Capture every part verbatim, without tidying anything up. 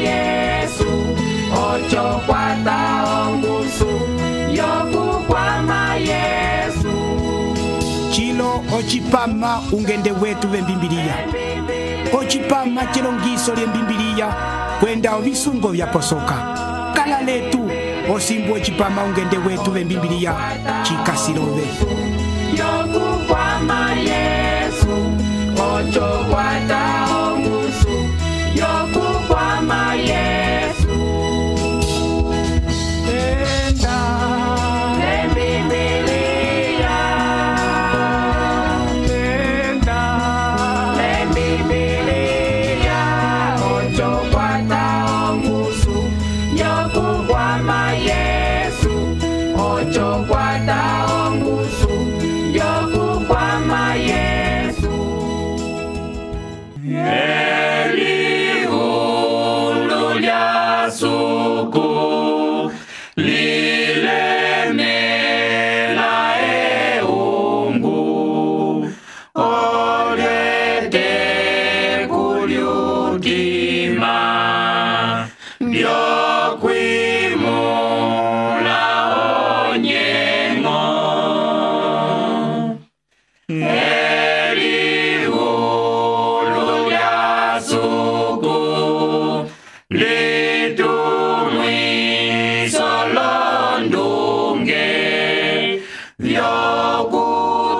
Yesu ocho kwata ongusu yokukwama Yesu chilo ochipama ungende wetu vembimbiliya ochipama chilongiso lyembimbiliya kwenda ovisungo vyaposoka kala letu osimbu ochipama ungende wetu vembimbiliya chikasilove yokukwama Yesu ocho kwata ongusu yokukwama Yesu enda embimbiliya enda embimbiliya ocho kwata ongusu yokukwama Yesu ocho kwata ongusu yokukwama Yesu elihulu lya suku lilemela eungu olyete kulyutima byokwimula onyengo elihulu lya suku litumwiso londunge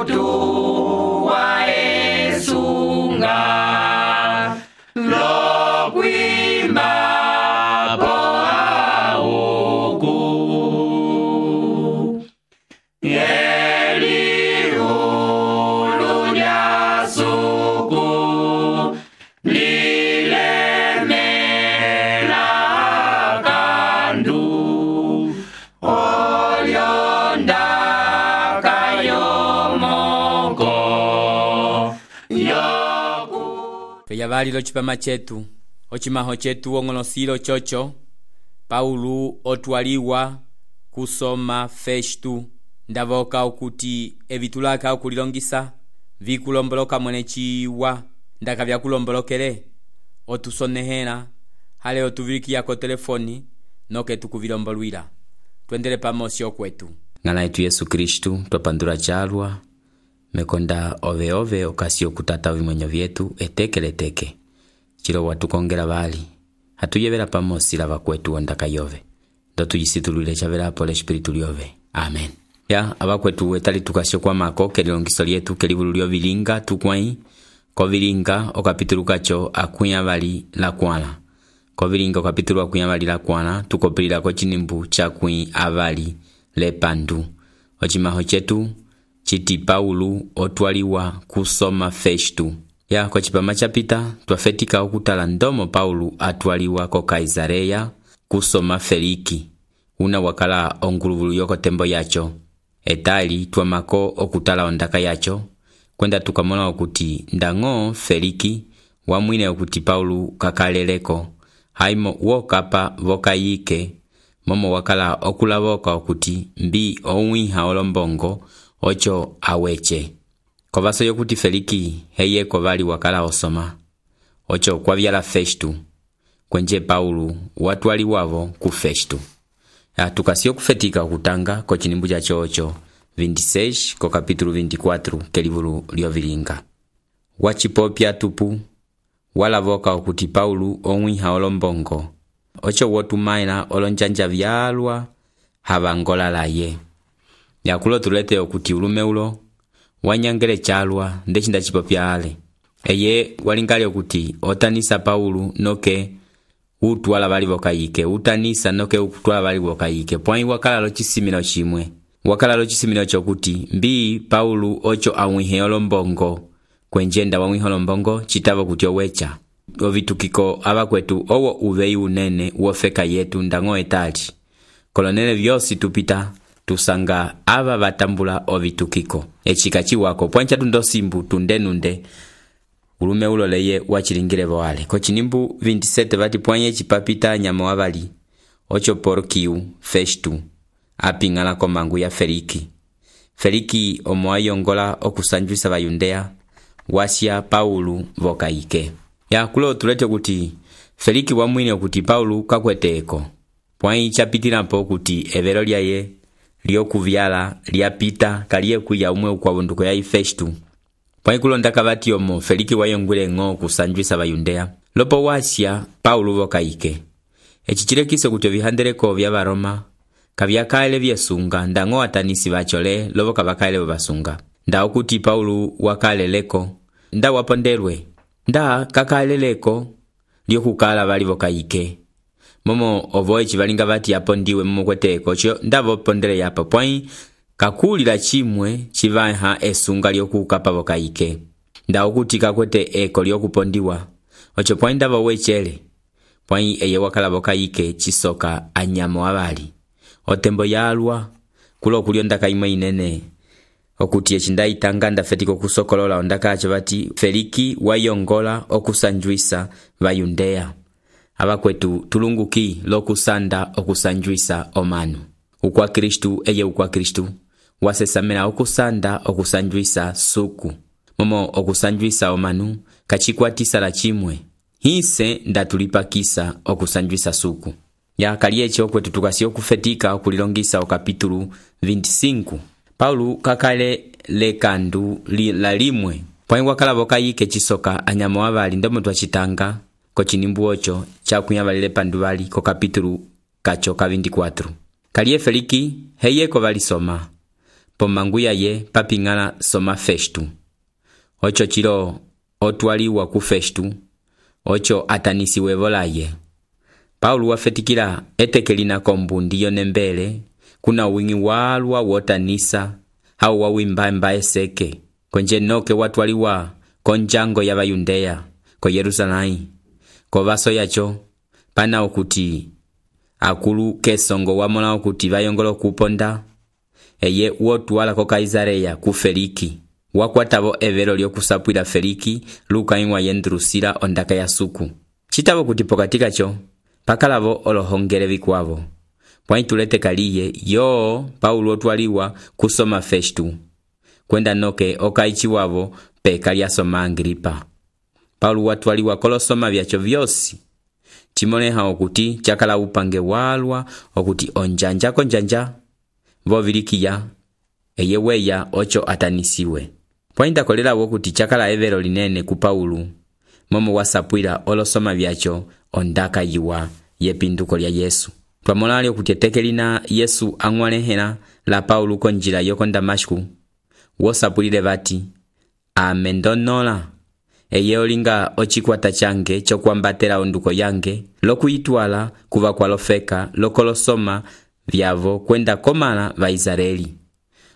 vyokutuwa esunga lokwima po auku elihulu lya suku lilemela kandu olyondaka yomoko yoku Feyavalilo chipama chetu ochimaho chetu ong'olosilo chocho Paulo otwaliwa kusoma Festu ndavoka okuti evitulaka okulilongisa vikulomboloka mwene chiwa ndaka vyakulombolokele otusonehela hale otuvilikiyako telefoni noke tukuvilombolwila twendele pamosi okwetu ng'ala yetu Yesu Kristu twapandula chalwa mekonda ove ove okasi okutata ovimwenyo vyetu etekeleteke chilo watukongela vali hatuyevela pamosi lava kwetu ondaka yove ndo tuyisitulwile chavela pole espiritu lyove amen ya abakwetu etali tukasyo kwa mako kelilongiso lyetu kelivulu lyovilinga tukwai kovilinga okapitulu kacho akuya vali la kwala kovilinga okapitulu akuya vali la kwala tukopilila ko chinimbu chakwi avali lepandu ochimaho chetu chiti Paulo otwaliwa kusoma Festu ya kwa chipama chapita twafetika okutala ndomo Paulo atwaliwa ko Kaisareya kusoma Feliki una wakala onguluvulu yoko tembo yacho etali twamako okutala ondaka yacho kwenda tukamona okuti ndango Feliki wamwine okuti Paulo kakaleleko haimo wokapa vokayike momo wakala okulavoka okuti mbi owiha olombongo ocho aweche kovaso yokuti Feliki heye kovali wakala osoma ocho kwavyala Festu kwenje Paulo watwali wavo ku Festu ya tukasio kufetika okutanga ko chinimbu cha chocho veintiséis ko kapitulu veinticuatro kelivulu lyovilinga wachipopya tupu walavoka okuti Paulo omwiha olombongo ocho wotumaila olonjanja vyalwa havangola laye yakulo tulete okuti ulume ulo wanyangele chalwa ndechinda chipopya ale eye walingali okuti otanisa Paulo noke utwala bali bokayike utanisa noke utwala bali bokayike pwai wakala lo chisimino chimwe wakala lo chisimino chokuti mbi Paulo ocho amwihe olombongo kwenjenda wamwihe olombongo chitavo kuti owecha ovitukiko abakwetu owo uvei unene wofeka yetu ndango etali kolonele vyosi tupita tusanga aba batambula ovitukiko echika chiwako pwancha tundosimbu tundenunde ulume uloleye wachilingile boale ko chinimbu veintisete vati pwanye chipapita nyama wabali ocho Porkiu Festu apingala komangu ya Feliki Feliki omwayongola okusanjwisa bayundea wasya Paulo vokayike ya kulo tulete kuti Feliki wamwine okuti Paulo kakwete eko, pwai chapitilapo kuti evelo lyaye lyokuvyala lyapita kaliye kuya umwe ukwavunduko yayi Festu. Pwai kulonda kabati omo Feliki wayongwile ng'o kusanjwisa bayundeya. Lopo wasya Paulo vokaike. Eci chilekiso kuti ovihandeleko vya Baroma kavyakaele vyesunga nda ng'o atanisi bachole lobo kabakaele basunga. Nda okuti Paulo wakaleleko nda wapondelwe nda kakaleleko lyokukala bali vokaike. Momo ovo eci balinga bati yapondiwe momo kweteko cho nda vopondele yapo pwai kakulila chimwe chivaha esunga lyokukapa vokaike. Nda okuti kakwete eko lyokupondiwa ocho pwai nda vowechele pwai eye wakala vokaike chisoka anyamo abali. Otembo yalwa kulo kulyo ndaka imwe inene okuti echinda itanga ndafetiko kusokolola ondaka acho bati Feliki wayongola okusanjwisa bayundeya. Abakwetu tulunguki lokusanda okusanjwisa omanu. Ukwa Kristu eye ukwa Kristu wasesamela okusanda okusanjwisa suku. Momo okusanjwisa omanu kachikwatisa la chimwe. Hise ndatulipakisa okusanjwisa suku. Ya kalieche okwetu tukasi okufetika okulilongisa okapitulu veinticinco. Paulo kakale lekandu li, la limwe. Pwai wakala vokaike chisoka anyamo abali ndomo twachitanga ko chinimbu ocho chakunyabalile pandubali ko kapitulu kacho ka veinticuatro. Kalie Feliki heyeko bali soma. Pomanguya ye papingala soma Festu. Ocho chilo otwaliwa ku Festu. Ocho atanisi wevolaye. Paulo wafetikila etekelina kombundi yonembele kuna wingi walwa wotanisa hau wawimba mbae seke konje noke watwaliwa konjango ya bayundeya ko Yerusalai ko baso yacho pana okuti akulu kesongo wamona okuti bayongolo kuponda eye wotwala ko Kaisareya ku Feliki wakwatabo evelo lyokusapwila Feliki luka inwa yendrusila ondaka ya suku chitabo kuti pokatika cho pakalavo olohongele bikwavo. Pwai tulete kaliye yo Paulo otwaliwa kusoma Festu. Kwenda noke okaichi wavo peka lya soma Agripa. Paulo watwaliwa kolosoma vyacho vyosi. Chimoneha okuti chakala upange walwa okuti onjanja konjanja. Vovilikiya eyeweya ocho atanisiwe. Pwai ndakolela wokuti chakala evero linene ku Paulo. Momo wasapwila olosoma vyacho ondaka yiwa yepinduko lya Yesu. Twamolali okuti etekelina Yesu angwalehela la Paulo konjila yoko Damasku. Wosapulile bati amendonola eye olinga ochikwata change chokwambatela onduko yange lokuyitwala kuva kwalofeka lokolosoma vyavo kwenda komala va Israeli.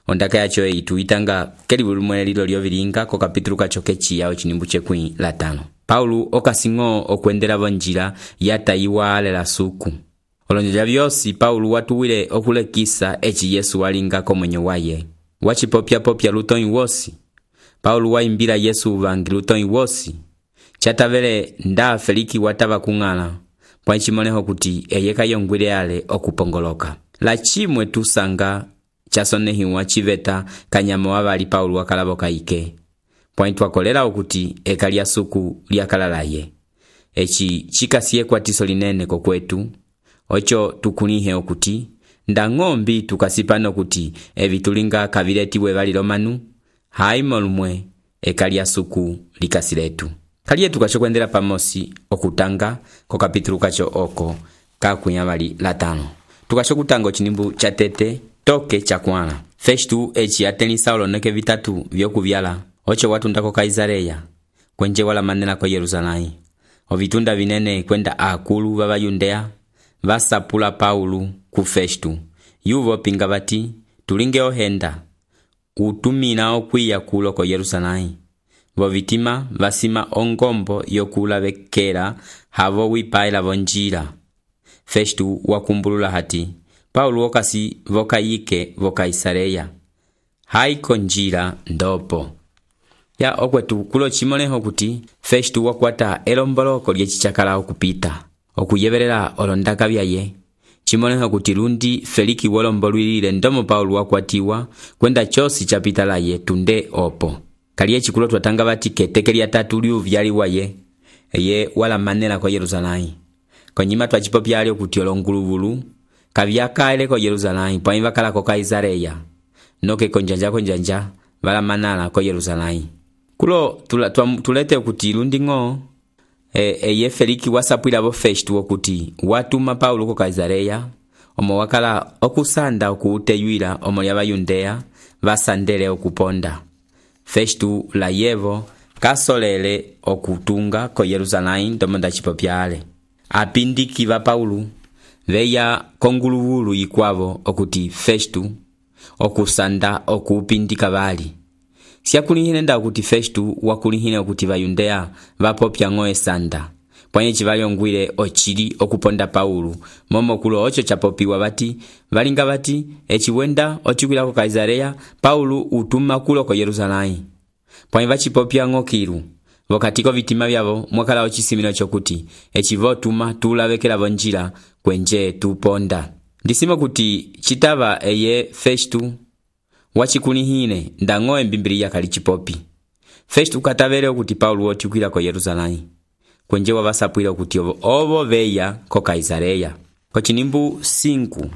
Ondaka yacho eitu itanga kelibulumwe lilo lyovilinga ko kapitulu kacho kechiya ochinimbu chekwi latano. Paulo okasingo okwendela vonjila yatayiwa ale la suku. Olonjela vyosi Paulo watuwile okulekisa echi Yesu walinga komwenyo waye. Wachipopya popya lutoi wosi. Paulo waimbila Yesu uvangi lutoi wosi. Chatavele nda Feliki watava kungala. Pwa nchimoneho kuti eyeka yongwile ale okupongoloka. La chimwe tusanga chasonehiwa chiveta kanyamo wabali Paulo wakalabo kaike. Pwa ntwakolela okuti eka lya suku lyakalalaye. Echi chikasiye kwa tiso linene kokwetu. Ocho tukunihe okuti nda ng'ombi tukasipano kuti evitulinga kaviletiwe bali lomanu haimolumwe eka lya suku likasiletu. Kaliye tukachokwendela pamosi okutanga ko kapitulu kacho oko kakunyabali latano. Tukachokutanga ochinimbu chatete toke chakwala. Festu echi atenisa oloneke vitatu vyokuvyala. Ocho watunda ko Kaisareya kwenje wala manena ko Yerusalai. Ovitunda vinene kwenda akulu baba Yundeya vasapula Paulo ku Festu. Yuvo pinga bati tulinge ohenda utumina okwiya kulo ko Yerusalai. Vovitima vasima ongombo yokula bekera havo wipaila vonjila. Festu wakumbulula hati Paulo okasi vokaike vokaisareya haiko njila ndopo. Ya okwetu kulo chimoneho kuti Festu wakwata elomboloko lyechichakala okupita okuyeberera olondaka byaye. Chimoneho kuti lundi Feliki wolombolwilile ndomo Paulo wakwatiwa kwenda chosi chapita laye tunde opo. Kaliye chikulo twatanga bati keteke lya tatu liu vyali waye eye wala manela kwa Yerusalai. konyima twacipopyale okuti olonguluvulu kavyakaele ko Yerusalém pwãyi vakala ko Kaisareya noke konjanja konjanja valamanala ko Yerusalém. Kulo tula, tulete okuti lunding'o e, eye Feliki wasapwila vo Festo okuti watuma Paulo ko Kaisareya omo wakala okusanda okuuteyuila omo lya Bayudeya vasandele okuponda. Festo la yevo kasolele okutunga ko Yerusalém ndomo ndacipopyale. Apindiki va Paulo veya konguluvulu ikwavo okuti Festo okusanda okupindika vali. Siakulihine nda okuti Festo wakulihine okuti Bayudeya vapopya ng'o esanda pwanye chivalyongwile ochili okuponda Paulo momo kulo ocho chapopiwa bati valinga bati echiwenda ochikwila ko Kaisareya Paulo utuma kulo ko Yerusalém pwanye vachipopya ng'o kilu vokatiko vitima vyavo mwakala ochisimino chokuti echivotuma tulavekela vonjila kwenje tuponda. Ndisimo kuti chitava eye Festo wachikulihine ndang'o embimbiliya kali chipopi. Festo katavele okuti Paulo otikwila ko Yerusalém kwenje wavasapwile okuti ovo, ovo veya ko Kaisareya. Ko chinimbu cinco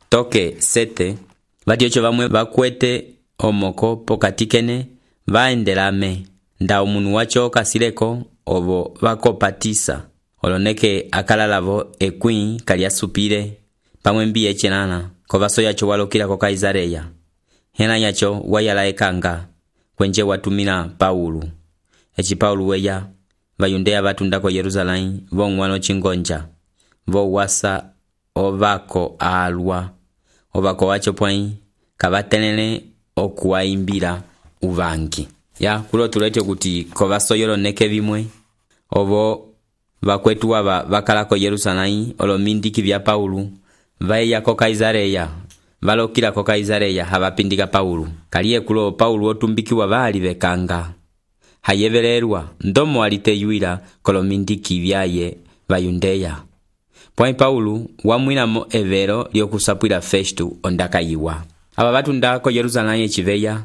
toke sete vati ocho vamwe vakwete omoko pokatikene vaendelame nda omunu wacho kasileko ovo vakopatisa oloneke akalalavo ekwĩ kaliasupile pamwe mbi echenana ko vaso yacho walokila ko Kaisareya. Hena yacho wayala ekanga kwenje watumila Paulo. Echi Paulo weya Bayudeya batunda ko Yerusalém vong'wano chingonja vo wasa ovako alwa ovako wacho pwãyi kavatenele okuwaimbila uvangi. Ya kulo tulete kuti ko vasoyolo neke vimwe ovo vakwetu wava vakala ko Yerusalém olomindiki vya Paulo vaya ko Kaisareya valokila ko Kaisareya havapindika Paulo. Kaliye kulo Paulo otumbikiwa vali vekanga hayevelelwa ndomo aliteyuila kolomindiki vyaye Bayudeya. Pwãyi Paulo wamwilamo evelo lyokusapwila Festo ondakayiwa. Aba batunda ko Yerusalém echiveya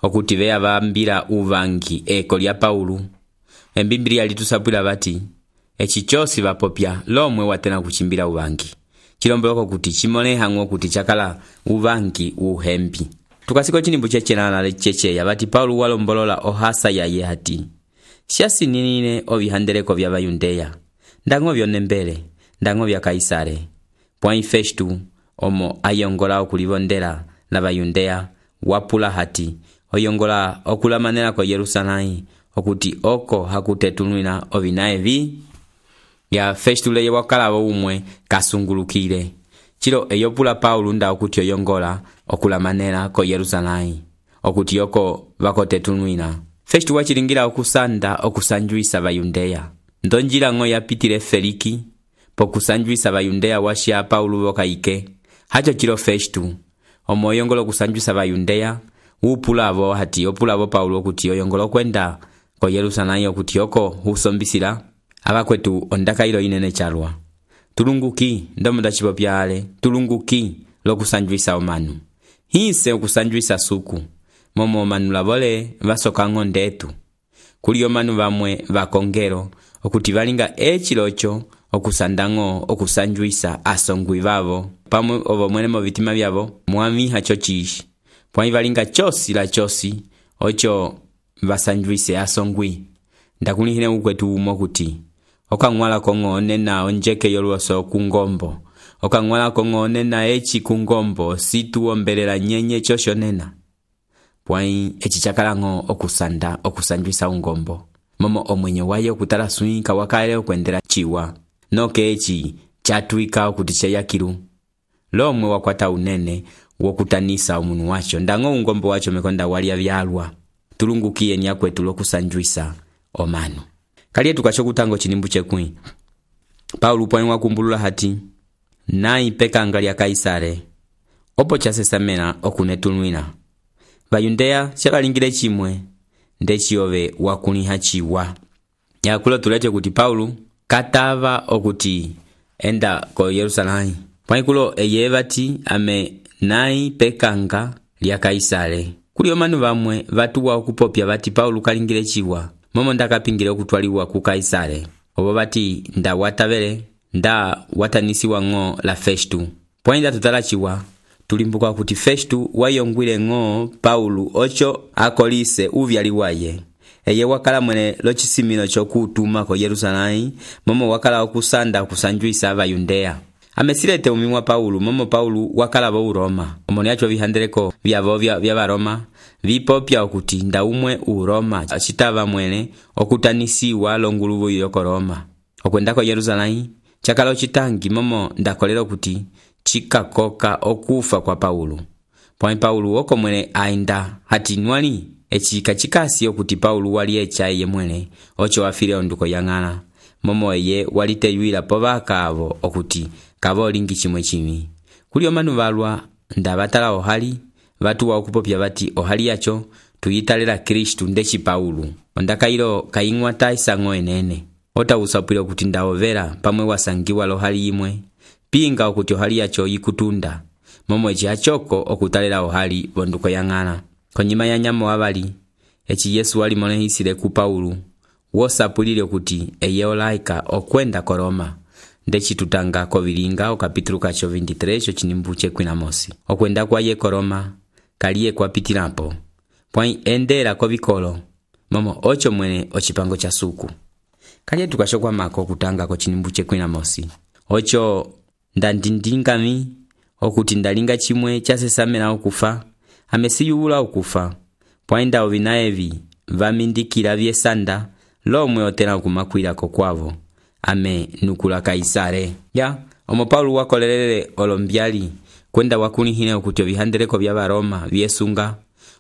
okuti veya vambila uvangi eko lya Paulo. Embimbiliya litusapwila bati echi chosi vapopya lomwe watena kuchimbila uvangi chilomboloko kuti chimoleha ng'o kuti chakala uvangi uhembi. Tukasiko chinimbu chechenana lechecheya bati Paulo walombolola ohasa yaye hati siasi ninine ovihandeleko vya Bayudeya ndang'o vyonembele ndang'o vya Kaisare. Pwãyi Festo omo ayongola okulivondela na Bayudeya wapula hati oyongola okulamanela ko Yerusalém okuti oko hakutetunwina ovinae vi ya Festo leye wakala umwe kasungulukile. Chilo eyopula Paulo nda okuti oyongola okulamanela ko Yerusalém okuti oko vakotetunwina. Festo wachilingira okusanda okusanjuisa Bayudeya. Ndonjila ng'o yapitile Feliki pokusanjuisa Bayudeya washia Paulo vokaike. Hacho chilo Festo omo oyongola okusanjuisa Bayudeya upula avo hati opula avo Paulo okuti oyongola kwenda ko Yerusalém okuti oko husombisila abakwetu ondakailo inene chalwa. Tulunguki ndomo ndachipopyale tulunguki lokusanjuisa omanu. Hinse okusanjuisa suku momo omanu lavole vasoka ng'o ndetu. Kuli omanu vamwe vakongero okuti valinga echilocho okusanda ng'o okusanjuisa asongwi vavo pamwe ovo mwene mo vitima vyavo mwamiha chochishi. Pwãyi valinga chosi la chosi ocho vasanjuise asongwi. Ndakulihine ukwetu umo kuti okang'wala kong'o nena onjeke yolwoso kungombo okang'wala kong'o nena echi kungombo situ ombelela nyenye chosho nena. Pwãyi echi chakala ng'o okusanda okusanjuisa ungombo momo omwenyo waye okutala swinka wakaele okwendela chiwa noke echi chatwika okuti cheyakilu lomwe wakwata unene wokutanisa omunu wacho ndang'o ungombo wacho mekonda walia vyalwa. Tulungukiye nyakwetu lokusanjuisa omanu. Kaliye tukacho kutango chinimbu chekwi Paulo pwãyi wakumbulula hati nai pekanga lya Kaisare opo chasesamena okunetunwina. Bayudeya shabalingile chimwe ndechiyove wakuliha chiwa. Yakulo tulete kuti Paulo katava okuti enda ko Yerusalém. Pwãyi kulo eye bati ame nai pekanga lya Kaisare. Kuli omanu vamwe vatuwa okupopya bati Paulo kalingile chiwa momo ndakapingile okutwaliwa ku Kaisare. Obo bati nda watavele nda watanisiwa ng'o la Festu. Pwainda tutalachiwa tulimbuka kuti Festu wayongwile ng'o Paulo ocho akolise uvyali waye. Eye wakala mwene lochisimino chokutuma ko Yerusalemu, momo wakala okusanda kusanjuisa abayundeya. Amesilete umimwa Paulo, momo Paulo wakala bo Roma. Omoni acho vihandeleko vyavo vya vya Roma vipopya okuti nda umwe u Roma achitava mwene okutanisiwa longuluvu yoko Roma. Okwenda ko Yerusalemu chakala chitangi momo ndakolera kuti chikakoka okufa kwa Paulo. Pwa Paulo oko mwene ainda hati nwali echika chikasi okuti Paulo wali echaye mwene ocho wafire onduko yang'ana. Momo eye waliteyuila povaka avo okuti kavo lingi chimwe chimi. Kulio manu valwa ndabatala ohali vatu wa okupopya bati ohali yacho tuyitalera Kristu ndechi Paulo. Ondakailo kaingwa taisango enene. Ota usapwilo kuti ndaovera pamwe wasangiwa lohali imwe. Pinga okuti ohali yacho yikutunda. Momo echi achoko okutalera ohali bonduko yang'ana. Konyima ya nyamo wabali echi Yesu wali monehisile ku Paulo. Wosapulile kuti eye olaika okwenda ko Roma. Ndechi tutanga ko vilinga o kapitulu kacho veintitrés cho chinimbuche kwina mosi. Okwenda kwa ye ko Roma kaliye kwa pitilapo. Pwai endera ko vikolo. Momo ocho mwene ochipango cha suku. Kaliye tukashokwa mako kutanga ko chinimbuche kwina mosi. Ocho ndandindingami okuti ndalinga chimwe chasesamela okufa. Amesiyula okufa. Pwainda ovinaevi vamindikila vyesanda lomwe otena kumakwila ko kwavo. Ame nukula Kaisare. Ya, omo Paulo wakolelele olombyali kwenda wakunihine okuti ovihandeleko vya Roma vyesunga.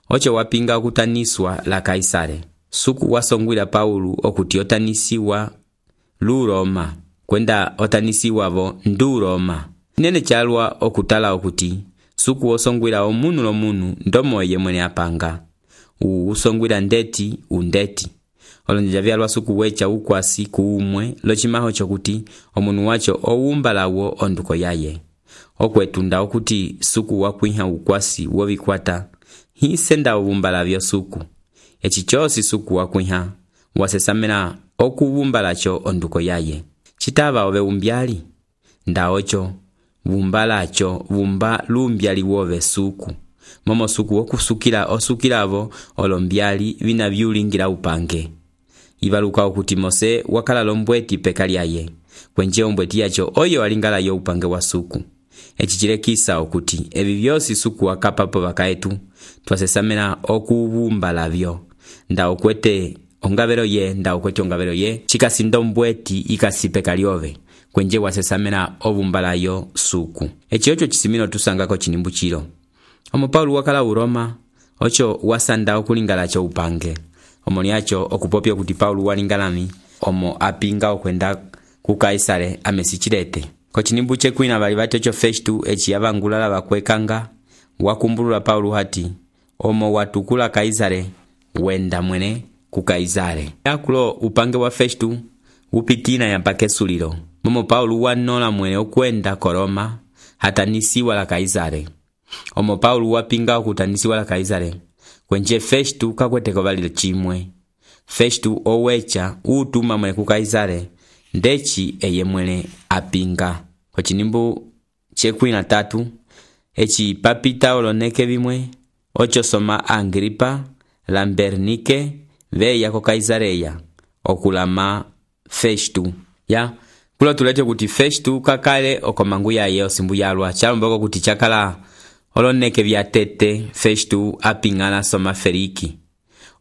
Ocho wapinga okutaniswa la Kaisare. Suku wasongwila Paulo okuti otanisiwa lu Roma. Kwenda otanisiwa vo ndu Roma. Nene chalwa okutala okuti suku osongwila omunu lomunu ndomo ye mwene apanga. U usongwila ndeti undeti. Olonja vyalwa suku wecha ukwasi kuumwe lochimaho chokuti omunu wacho oumbalawo onduko yaye. Okwetunda okuti suku wakwiha ukwasi wovikwata hisenda uvumbala vyo suku. Echi chosi suku wakwiha wasesamela okuvumbalacho onduko yaye. Chitava ove umbyali nda ocho vumbalacho vumba lumbyali wove suku. Momo suku wokusukila osukilavo olombyali vina vyulingira upange. Ivaluka okuti Mose wakala lombweti pekali yaye. Kwenje ombweti yacho oyo alingala yo upange wa suku. Echichile kisa okuti evi vyosi suku wakapapo vakaetu twasesamela okuvumbala vyo. Nda okwete ongavero ye nda okwete ongavero ye chikasindo mbweti ikasi pekali ove. Kwenje wasesamela ovumbala yo suku. Echi ocho chisimino tusangako chinimbu chilo. Omo Paulo wakala u Roma ocho wasanda okulingala cho upange. Omoni acho okupopya kuti Paulo walingalami omo apinga okwenda ku Kaisare amesichilete. Ko chinimbuche kwina bali batecho Festu echi yavangulala bakwekanga wakumbulula Paulo hati omo watukula Kaisare wenda mwene ku Kaisare. Yakulo upange wa Festu upitina ya pakesulilo. Momo Paulo wanola mwene okwenda ko Roma hatanisiwa la Kaisare. Omo Paulo wapinga okutanisiwa la Kaisare. Kwenje Festu kakweteko balile chimwe. Festu owecha utuma mwene ku Kaisare ndechi eye mwene apinga. Ko chinimbu chekwina tatu echi papita oloneke bimwe ocho soma Agripa Lambernike veya ko Kaisareya okulama Festu. Ya kulo tulete kuti Festu kakale okomangu yaye osimbu yalwa chalomboko kuti chakala oloneke vya tete Festu apingana soma Feriki.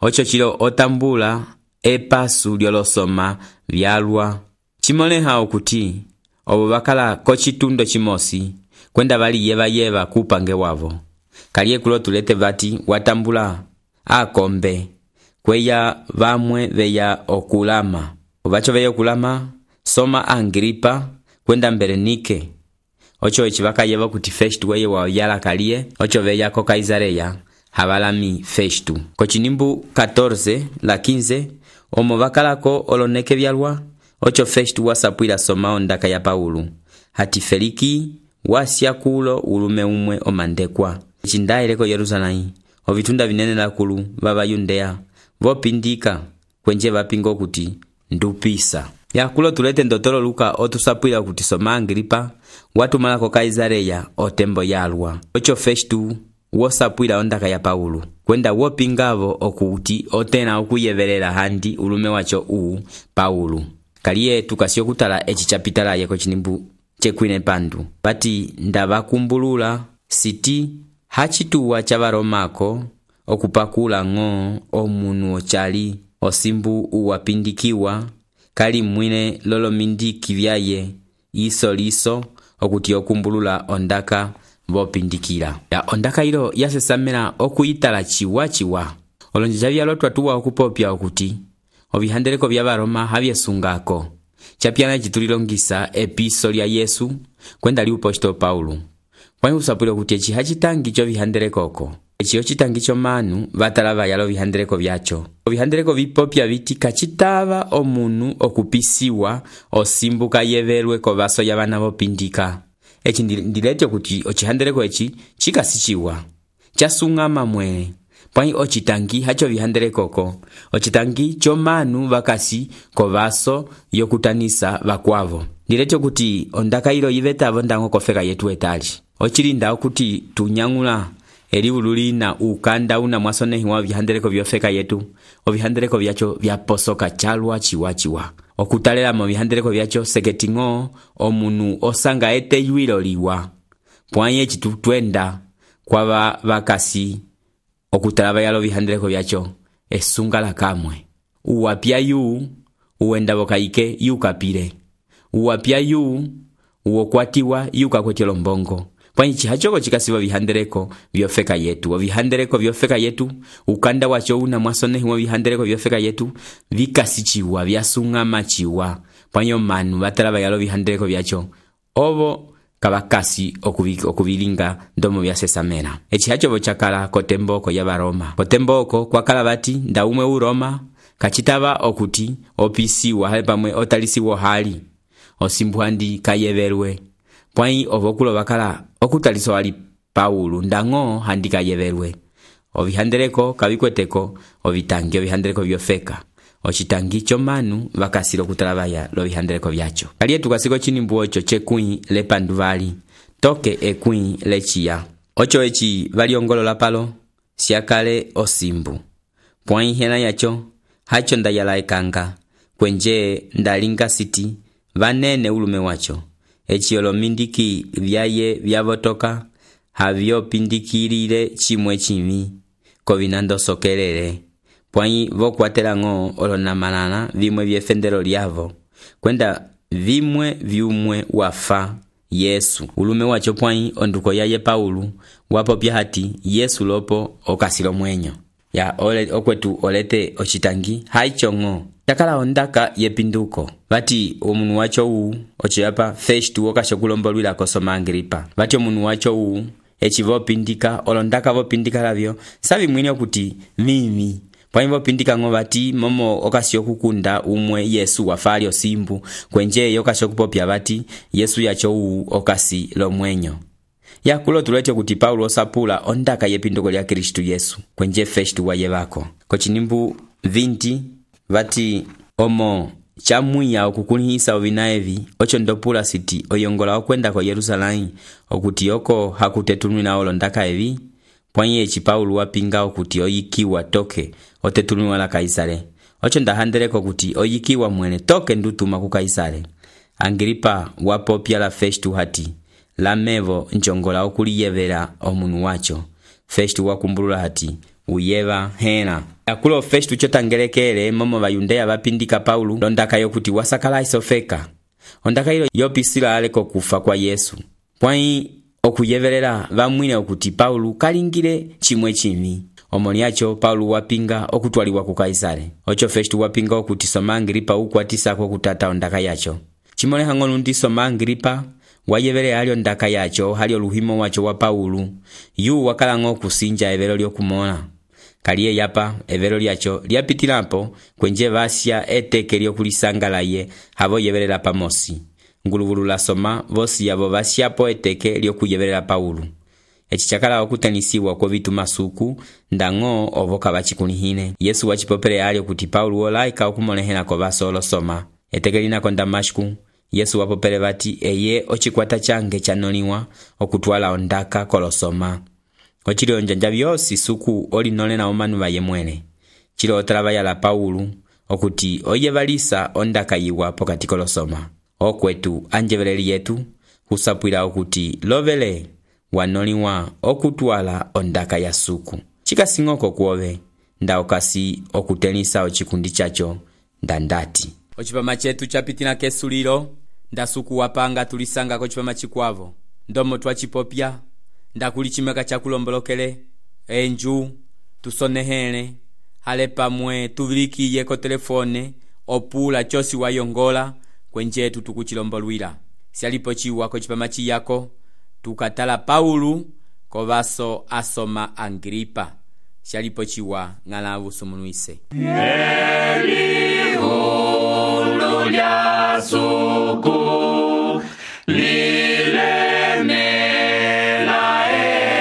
Ocho chilo otambula epasu lyolosoma vyalwa. Chimoleha okuti obo bakala kochitundo chimosi kwenda bali yeva yeva kupange wavo. Kaliye kulo tulete vati watambula akombe kweya vamwe veya okulama. Obacho veya okulama soma Agripa kwenda Berenike. Ocho echibaka yeva kuti Festu weye wa yala kaliye ocho veya ko Kaisareya habalami Festu. Ko chinimbu catorce la quince omo bakalako oloneke byalwa ocho Festu wasapwila soma ondaka ya Paulo hati Feliki wasyakulo ulume umwe omandekwa. Chindaileko Yerusalemu ovitunda vinene lakulu baba Yudea vopindika kwenje bapingo kuti ndupisa. yakulo tulete ndotolo Luka otusapwila kuti soma Agripa watumala ko Kaisareya otembo yalwa. Ocho Festu wosapwila ondaka ya Paulo kwenda wopingavo okuti otena okuyevelela handi ulume wacho uu Paulo. Kaliye tukasio kutala echi chapitala yeko chinimbu chekwine pandu pati ndavakumbulula siti hachituwa chavaromako okupakula ng'o omunu ochali osimbu uwapindikiwa kali mwine lolomindiki vyaye iso liso okuti okumbulula ondaka vopindikila. Ya ondaka ilo yasesamela okuyitala chiwa chiwa. Olonjeja vyalotwa tuwa okupopya okuti ovihandeleko vya Varoma havyesungako. Chapiana chitulilongisa episo lya Yesu kwenda liuposto Paulo. Pwani usapwile kuti echi hachitangi cho vihandelekoko. Echi ochitangi cho manu vatalava yalo vihandeleko vyacho. Vihandeleko vipopya viti kachitava omunu okupisiwa osimbuka yeverwe kovaso ya vana vopindika. Echi ndilete kuti ochihandeleko echi chikasichiwa chasungama mwene. Pwani ochitangi hacho vihandelekoko. Ochitangi cho manu vakasi kovaso yokutanisa vakwavo. Ndilete kuti ondaka ilo yivetavo ndango kofeka yetu etali. Ochilinda okuti tunyangula eli ululi na ukanda una mwasonehi wa vihandeleko vyofeka yetu. Ovihandeleko vyacho vyaposoka chalwa chiwa chiwa. Okutalela mo vihandeleko vyacho seketingo omunu osanga ete yuilo liwa. Pwanye chitutwenda kwa vakasi okutalava yalo vihandeleko vyacho esunga la kamwe. Uwapia yu uwenda vokaike yu kapire. Uwapia yu uokwatiwa yu kakwetelo mbongo. Pwani chihachoko chikasiwa vihandeleko vyofeka yetu. Vihandeleko vyofeka yetu ukanda wacho una mwasonehi wa vihandeleko vyofeka yetu vikasichiwa vyasunga machiwa. Pwani manu vatalava yalo vihandeleko vyacho ovo kabakasi okuvilinga ndomo vyasesamena. Echi hacho vochakala kotemboko ya Varoma. Kotemboko kwa kalabati ndaumwe u Roma kachitava okuti opisiwa hali pamwe otalisiwo hali osimbuhandi kayeverwe. Pwani ovokulo vakala okutaliso wali Paulo ndango handi kayeverwe. Ovihandeleko kavikweteko ovitangi ovihandeleko vyofeka. Ochitangi cho manu vakasilo kutalabaya lo vihandeleko vyacho. Kaliye tukasiko chinimbu ocho chekui le panduvali. Toke ekui lechia. Ocho echi valiongolo la palo siakale osimbu. Pwani hena yacho hacho ndayala ekanga. Kwenje ndalinga siti vanene ulume wacho. Echi olomindiki vyaye vyavotoka havyo pindikilile chimwe chimi kovinando sokelele. Pwani vokwatela ng'o olonamanana vimwe vyefendelo lyavo kwenda vimwe vyumwe wafa Yesu ulume wacho. Pwani onduko yaye Paulo wapopya hati Yesu lopo okasilo mwenyo ya ole okwetu olete ochitangi haicho ng'o takala ondaka yepinduko. Vati omunu wacho uu ochiapa Festu okashokulombolwila kosoma Agripa. Vati omunu wacho uu echi vopindika olondaka vopindika lavyo savi mwini okuti mimi. Pwani vopindika ng'o vati momo okasio kukunda umwe Yesu wafali osimbu kwenje yokasho kupopya vati Yesu yacho uu okasi lo mwenyo. Yakulo tulete kuti Paulo osapula ondaka yepinduko lya Kristu Yesu kwenje Festu wayevako. Kochinimbu vinti vati omo chamwiya okukulihisa ovinaevi ocho ndopula siti oyongola okwenda ko Yerusalemu okuti oko hakutetunwina olondaka evi. Pwani echi Paulo wapinga okuti oyikiwa toke otetunwiwa la Kaisare. Ocho ndahandeleko kuti oyikiwa mwene toke ndutuma ku Kaisare. Agripa wapopya la Festu hati lamevo nchongola okuliyevera omunu wacho. Festu wakumbulula hati uyeva hena. Yakulo Festu chotangelekele momo vayundeya vapindika Paulo londaka yokuti wasakala isofeka. Ondaka ilo yopisila aleko kufa kwa Yesu. Pwani okuyevelela vamwine okuti Paulo kalingile chimwe chimi. Omoni yacho Paulo wapinga okutwaliwa ku Kaisare. Ocho Festu wapinga okuti soma Agripa ukwatisa kwa kutata ondaka yacho. Chimole hangonu ndi soma Agripa wayevele alio ndaka yacho halio luhimo wacho wa Paulo. Yu wakala ng'o kusinja evelo lyokumona. Kaliye yapa evelo lyacho lyapitilapo kwenje vasya eteke lyokulisangalaye havo yevelela pamosi. Ngulugulu la soma vosi yavo vasyapo eteke lyokuyevelela Paulo. Echi chakala okutanisiwa kwa vitu masuku ndang'o ovoka vachikunihine. Yesu wachipopele alio kuti Paulo olaika okumonehena kwa vaso olosoma. eteke linako Damasku Yesu wapopele vati eye ocikwata change chanoliwa okutwala ondaka kolosoma. Ochili onjanja byosi suku olinole na omanu baye mwene. Chilo otala bayala Paulu okuti oye balisa ondaka yiwa pokati kolosoma. Okwetu anjebeleli yetu husapwila okuti lovele wanoliwa okutwala ondaka ya suku. Chikasingoko kuove nda okasi okutenisa ochikundi chacho ndandati. Ochipama chetu chapitina kesulilo nda suku wapanga tulisanga kochipama chikwavo. Ndomo twachipopya nda kulichimeka chakulombolokele enju tusonehele hale pamwe tuvilikiye ko telefone opula chosi wayongola kwenjetu tukuchilombolwila. Sialipo chiwa kochipama chiyako tukatala Paulu kovaso asoma Agripa. Sialipo chiwa ngalavu sumunuise. Elihu lulya suku lilemela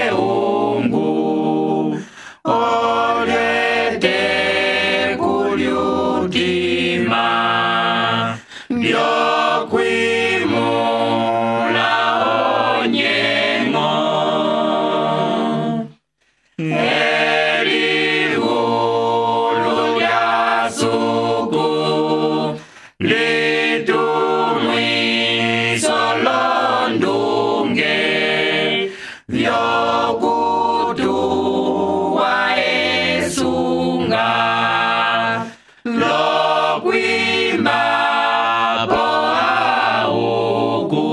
eungu olete kulyutima ndyokwimula onyengo. Elihu lulya suku litumwiso londunge vyokutuwa esunga lokwima po auku.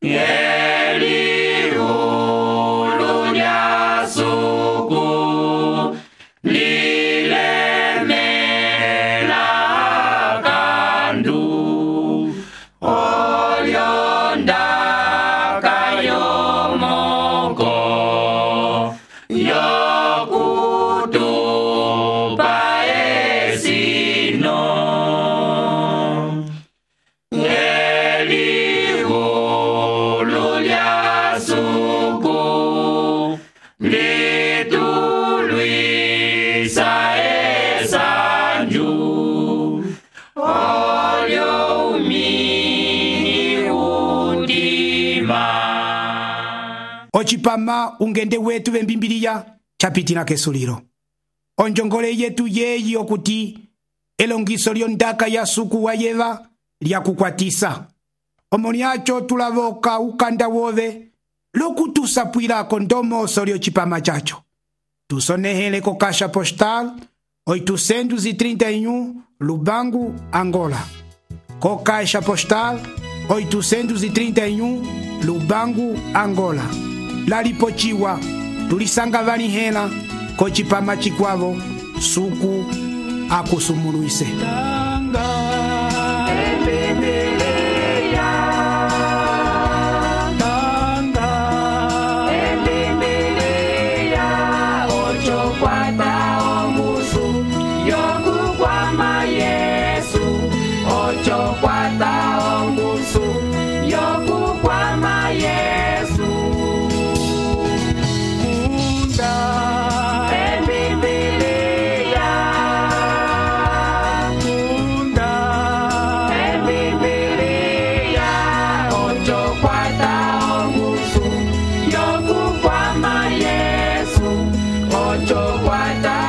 Elihu lulya suku lilemela kandu olyondaka yomoko yokutupa esino. Elihu lulya suku litulwisa esanju olyo umini undima. Ochipama ungende wetu vembimbiliya chapitina kesulilo. Onjongole yetu yeyi okuti elongiso lyondaka ya suku wayeva lyakukwatisa. Omoniacho tulavoka ukanda wove lokutusapwilako ndomoso lyochipama chacho. Tusonehele ko Caixa Postal oitocentos e trinta e um Lubango, Angola. Co Caixa Postal oitocentos e trinta e um Lubango, Angola. Lalipochiwa tulisanga vanihela kochipama chikwavo suku akusumuluise. Yokukwama Yesu, ocho kwata